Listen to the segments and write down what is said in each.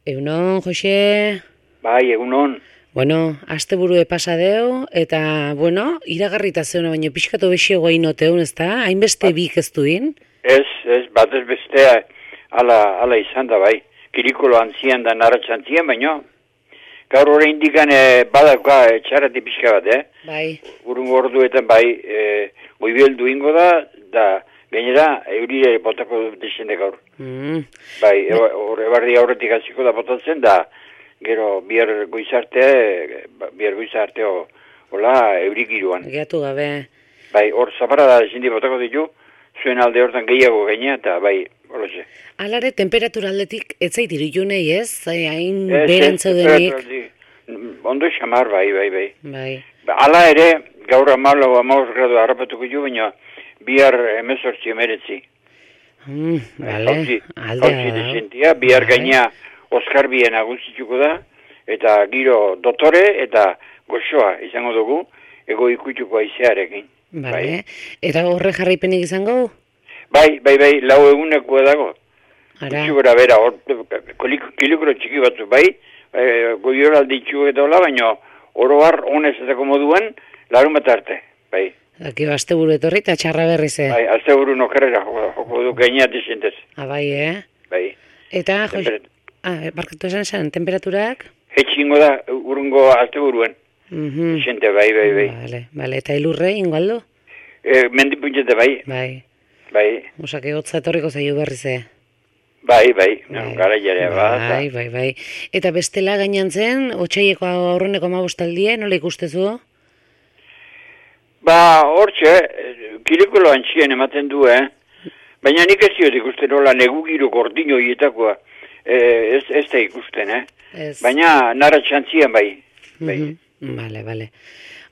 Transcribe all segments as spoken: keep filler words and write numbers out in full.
Egunon, Jose? Bai, egunon. Bueno, asteburue pasadeu, eta, bueno, iragarrita zeuna, baina pixkatu bexego inoteun, ez da? Hainbeste bik ez duin? Ez, ez, bat ez bestea ala, ala izan da, bai. Kirikolo antzian da naratxantzian, baina gaur hori indikan e, badauka e, txarrati pixka bat, eh? Bai. Urungo orduetan, bai, e, goibeldu ingo da, da gainera eurire botako desende gaur. Mm. Bai, horre barri aurretik hasiko da botatzen, da gero bihar goizarte, bihar goizarte hola eurikiruan. Geatu gabe. Bai, hor zapara da zindi botako ditu, zuen alde hortan gehiago gaina, eta bai, horoze. Alare, temperatura aldetik etzait irudunei ez? Hain berantzaudenik. Ondo xamar, bai, bai, bai. Bai. Hala ere, gaur amalo, amaus gradu harrapatuko ju, baina bihar emezortzi emeretzi. Mm, vale, Hauzi, aldea hauzi da. desentia, bihar gaina Oskar bien agustituko da, eta giro dotore eta goxoa izango dugu, ego ikutuko aizearekin. Vale, eta horre jarraipenik izango? Bai, bai, bai, lau eguneko dago. Ara. Gutxi gora bera, hor, kilikro txiki batzu, bai, e, goior alditxu eta hola, baina oroar honez ezako moduan, larun bat arte, bai. Aki asteburu etorri eta txarra berri ze. Bai, azte buru nokarrera joko, joko du gaina desentez. Ah, bai, eh? Bai. Eta, Jose, Temperat- ah, barkatu esan esan, temperaturak? Hetxingo da, urungo azte buruen. Mhm. Desente, bai, bai, bai. Vale, vale, eta elurre, ingo aldo? E, mendipuntzete, bai, Bai, bai, osake hotza etorriko zaio berri ze. bai, bai, Bai. gara jare, bat. Bai, bai, bai. Eta bestela gainantzen, otxaieko aurreneko amabostaldie, nola ikustezu? Ba, hortxe, kirikolo antxien ematen du, eh? Baina nik ez diot ikusten nola negugiru gordino hietakoa, eh, ez, ez da ikusten, eh? Ez. Baina nara txantzian bai. bai. Mhm. Vale, vale.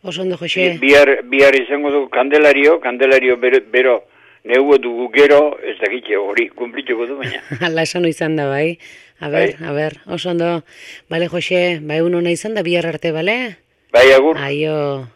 Oso ondo, Jose. Bihar, bihar izango dugu kandelario, kandelario bero, bero negu dugu gero, ez dakitxe hori kumplituko du, baina. Hala esan izan da, bai. A ber, Bai. a ber, oso ondo. Bale, Jose, bai, uno nahi izan da, bihar arte, bale? Bai, agur. Aio.